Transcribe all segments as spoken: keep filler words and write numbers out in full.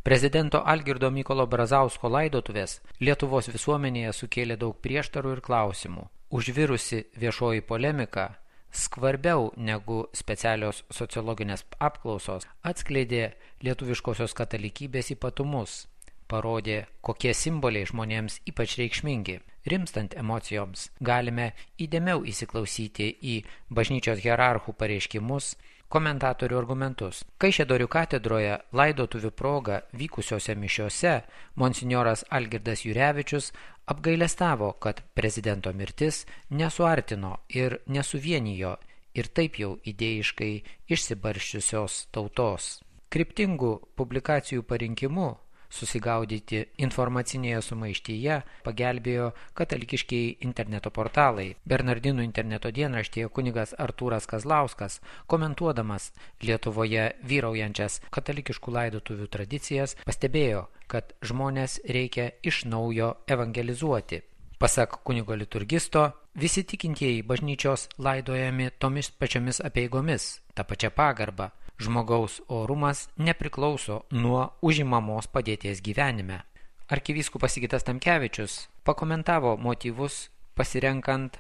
Prezidento Algirdo Mykolo Brazausko laidotuvės Lietuvos visuomenėje sukėlė daug prieštarų ir klausimų. Užvirusi viešoji polemika, skvarbiau negu specialios sociologinės apklausos, atskleidė lietuviškosios katalikybės ypatumus, parodė, kokie simboliai žmonėms ypač reikšmingi. Rimstant emocijoms galime įdėmiau įsiklausyti į bažnyčios hierarchų pareiškimus, komentatorių argumentus. Kaišiadorių katedroje laidotuvių proga vykusiose mišiose monsinjoras Algirdas Jurevičius apgailestavo, kad prezidento mirtis nesuartino ir nesuvienijo ir taip jau idėjiškai išsibarsčiusios tautos. Kryptingų publikacijų parinkimu susigaudyti informacinėje sumaištyje pagelbėjo katalikiškiai interneto portalai. Bernardinų interneto dienraštyje kunigas Artūras Kazlauskas, komentuodamas Lietuvoje vyraujančias katalikiškų laidotuvių tradicijas, pastebėjo, kad žmonės reikia iš naujo evangelizuoti. Pasak kunigo liturgisto, visi tikintieji bažnyčios laidojami tomis pačiomis apeigomis, ta pačia pagarba. Žmogaus orumas nepriklauso nuo užimamos padėties gyvenime. Arkivyskupas Sigitas Tamkevičius pakomentavo motyvus pasirenkant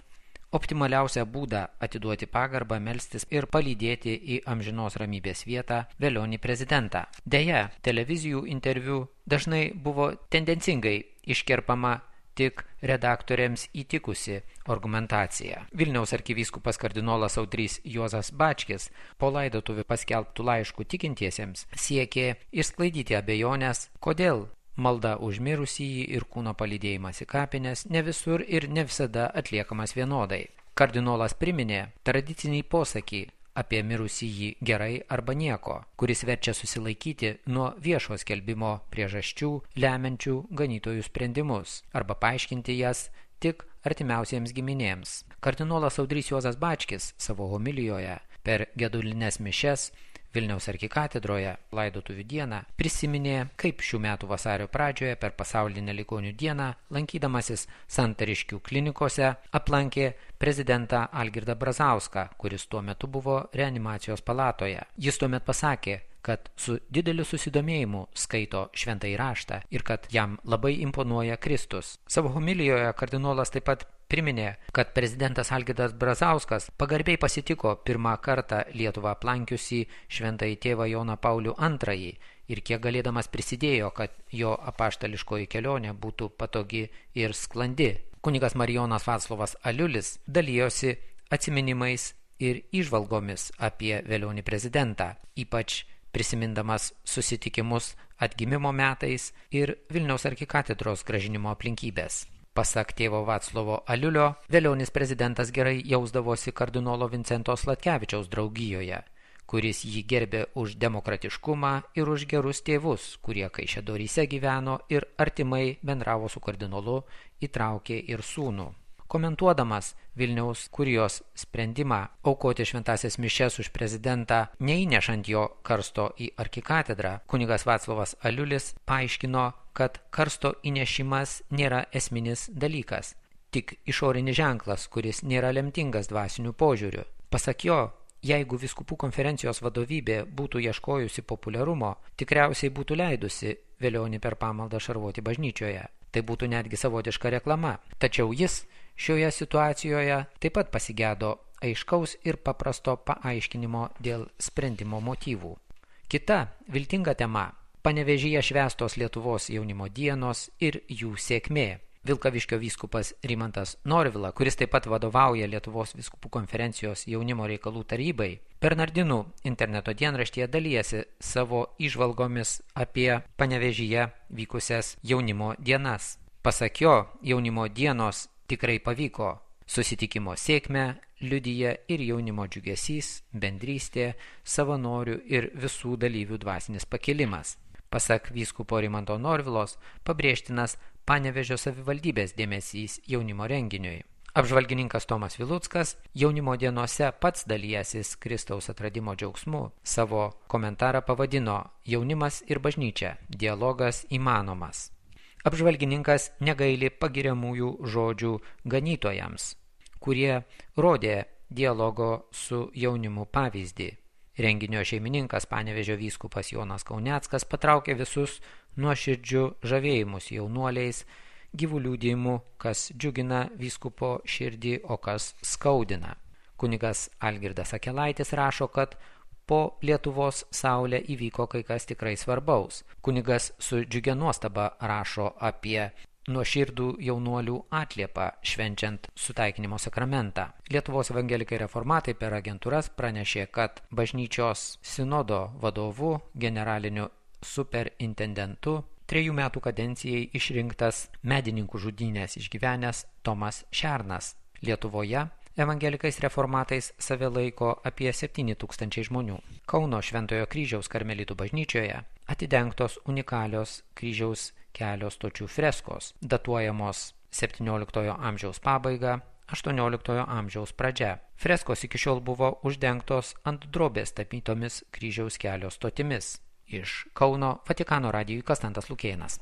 optimaliausią būdą atiduoti pagarbą, melstis ir palydėti į amžinos ramybės vietą velionį prezidentą. Deja, televizijų interviu dažnai buvo tendencingai iškerpama tik redaktoriams įtikusi argumentacija. Vilniaus arkivyskupas kardinolas Audrys Juozas Bačkis po laidotuvių paskelbtų laiškų tikintiesiems siekė išsklaidyti abejonės, kodėl malda už mirusįjį ir kūno palydėjimas į kapines ne visur ir ne visada atliekamas vienodai. Kardinolas priminė tradicinį posakį apie mirusįjį gerai arba nieko, kuris verčia susilaikyti nuo viešo skelbimo priežasčių lemiančių ganytojų sprendimus arba paaiškinti jas tik artimiausiems giminėms. Kardinolas Audrys Juozas Bačkis savo homilijoje per gedulines mišias Vilniaus arkikatedroje laidotuvių dieną prisiminė, kaip šių metų vasario pradžioje per pasaulinę ligonių dieną, lankydamasis Santariškių klinikose, aplankė prezidentą Algirdą Brazauską, kuris tuo metu buvo reanimacijos palatoje. Jis tuomet pasakė, kad su dideliu susidomėjimu skaito šventąjį raštą ir kad jam labai imponuoja Kristus. Savo homilijoje kardinolas taip pat priminė, kad prezidentas Algirdas Brazauskas pagarbiai pasitiko pirmą kartą Lietuvą aplankiusį šventąjį tėvą Joną Paulių antrąjį ir kiek galėdamas prisidėjo, kad jo apaštališkoji kelionė būtų patogi ir sklandi. Kunigas Marijonas Vaclovas Aliulis dalijosi atsiminimais ir įžvalgomis apie velionį prezidentą, ypač prisimindamas susitikimus atgimimo metais ir Vilniaus arkikatedros grąžinimo aplinkybės. Pasak tėvo Vaclovo Aliulio, velionis prezidentas gerai jausdavosi kardinolo Vincento Sladkevičiaus draugijoje, kuris jį gerbė už demokratiškumą ir už gerus tėvus, kurie Kaišiadoryse gyveno ir artimai bendravo su kardinolu, įtraukė ir sūnų. Komentuodamas Vilniaus kurijos sprendimą aukoti šventąsias mišias už prezidentą, neįnešant jo karsto į arkikatedrą, kunigas Vaclovas Aliulis paaiškino, kad karsto įnešimas nėra esminis dalykas, tik išorinis ženklas, kuris nėra lemtingas dvasiniu požiūriu. Pasak jo, jeigu vyskupų konferencijos vadovybė būtų ieškojusi populiarumo, tikriausiai būtų leidusi velionį per pamaldą šarvoti bažnyčioje. Tai būtų netgi savotiška reklama. Tačiau jis šioje situacijoje taip pat pasigedo aiškaus ir paprasto paaiškinimo dėl sprendimo motyvų. Kita viltinga tema – Panevėžyje švęstos Lietuvos jaunimo dienos ir jų sėkmė. Vilkaviškio vyskupas Rimantas Norvila, kuris taip pat vadovauja Lietuvos vyskupų konferencijos jaunimo reikalų tarybai, Bernardinų interneto dienraštyje dalijasi savo įžvalgomis apie Panevėžyje vykusias jaunimo dienas. Pasak jo, jaunimo dienos tikrai pavyko. Susitikimo sėkmę liudija ir jaunimo džiugesys, bendrystė, savanorių ir visų dalyvių dvasinis pakilimas. Pasak vyskupo Rimanto Norvilos, pabrėžtinas Panevėžio savivaldybės dėmesys jaunimo renginiui. Apžvalgininkas Tomas Viluckas jaunimo dienose pats dalyjasis Kristaus atradimo džiaugsmu. Savo komentarą pavadino Jaunimas ir bažnyčia – dialogas įmanomas. Apžvalgininkas negaili pagiriamųjų žodžių ganytojams, kurie rodė dialogo su jaunimu pavyzdį. Renginio šeimininkas Panevėžio vyskupas Jonas Kauneckas patraukė visus nuoširdžiu žavėjimus jaunuoliais, gyvų liudijimų, kas džiugina vyskupo širdį, o kas skaudina. Kunigas Algirdas Akelaitis rašo, kad po Lietuvos saulę įvyko kai kas tikrai svarbaus. Kunigas su džiugia nuostaba rašo apie nuoširdų jaunuolių atliepą švenčiant sutaikinimo sakramentą. Lietuvos evangelikai reformatai per agentūras pranešė, kad bažnyčios sinodo vadovu, generaliniu superintendentu, trejų metų kadencijai išrinktas medininkų žudynės išgyvenęs Tomas Šernas. Lietuvoje evangelikais reformatais save laiko apie septyni tūkstančiai žmonių. Kauno Šventojo kryžiaus karmelitų bažnyčioje atidengtos unikalios kryžiaus kelio stočių freskos, datuojamos septynioliktojo amžiaus pabaiga, aštuonioliktojo amžiaus pradžia. Freskos iki šiol buvo uždengtos ant drobės tapytomis kryžiaus kelio stotimis. Iš Kauno Vatikano radijui Konstantas Lukėnas.